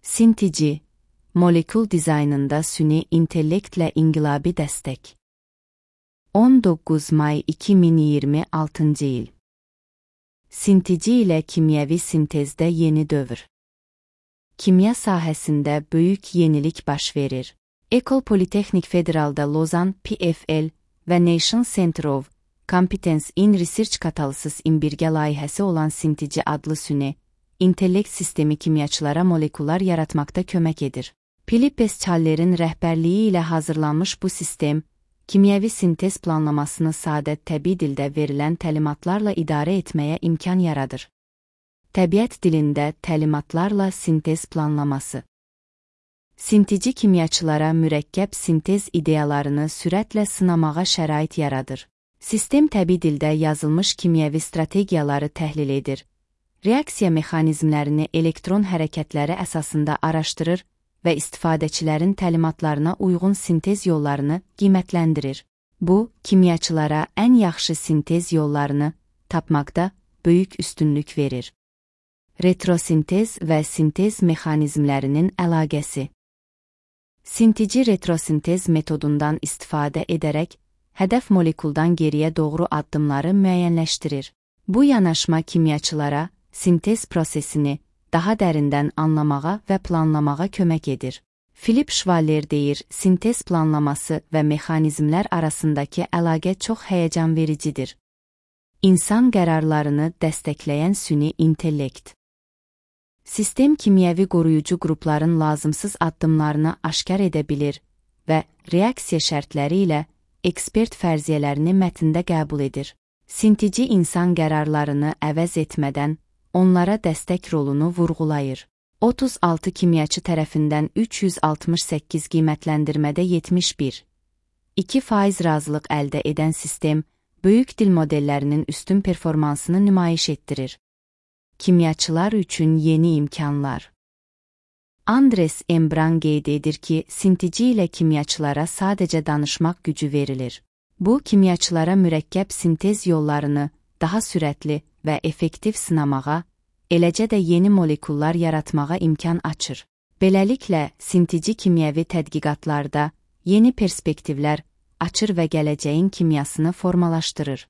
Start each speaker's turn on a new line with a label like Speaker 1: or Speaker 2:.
Speaker 1: Sintici, molekül dizaynında süni intellektlə inqilabi dəstək. 19 may 2026 il. Sintici ilə kimyəvi sintezdə yeni dövr. Kimya sahəsində böyük yenilik baş verir. Ecole Polytechnique Federal'da Lozan, PFL və Nation Center of Competence in Research Catalysis in birgə layihəsi olan Sintici adlı süni intellekt sistemi kimyaçılara moleküllər yaratmaqda kömək edir. Philippe Challerin rəhbərliyi ilə hazırlanmış bu sistem, kimyəvi sintez planlamasını sadə təbii dildə verilən təlimatlarla idarə etməyə imkan yaradır. Təbiət dilində təlimatlarla sintez planlaması. Sintici kimyaçılara mürəkkəb sintez ideyalarını sürətlə sınamağa şərait yaradır. Sistem təbii dildə yazılmış kimyəvi strategiyaları təhlil edir, reaksiya mexanizmlərini elektron hərəkətləri əsasında araşdırır və istifadəçilərin təlimatlarına uyğun sintez yollarını qiymətləndirir. Bu, kimyaçılara ən yaxşı sintez yollarını tapmaqda böyük üstünlük verir. Retrosintez və sintez mexanizmlərinin əlaqəsi. Sintici retrosintez metodundan istifadə edərək, hədəf molekuldan geriyə doğru addımları müəyyənləşdirir. Bu yanaşma kimyaçılara sintez prosesini daha dərindən anlamağa və planlamağa kömək edir. Philip Schwaller deyir, sintez planlaması və mexanizmlər arasındakı əlaqə çox həyəcan vericidir. İnsan qərarlarını dəstəkləyən süni intellekt. Sistem kimyəvi qoruyucu qrupların lazımsız addımlarını aşkar edə bilir və reaksiya şərtləri ilə ekspert fərziyyələrini mətndə qəbul edir. Sintici insan qərarlarını əvəz etmədən onlara dəstək rolunu vurğulayır. 36 kimyaçı tərəfindən 368 qiymətləndirmədə 71,2% razılıq əldə edən sistem, böyük dil modellərinin üstün performansını nümayiş etdirir. Kimyaçılar üçün yeni imkanlar. Andres Embran qeyd edir ki, sintici ilə kimyaçılara sadəcə danışmaq gücü verilir. Bu, kimyaçılara mürəkkəb sintez yollarını daha sürətli və effektiv sınamağa, eləcə də yeni moleküllər yaratmağa imkan açır. Beləliklə, sintici kimyəvi tədqiqatlarda yeni perspektivlər açır və gələcəyin kimyasını formalaşdırır.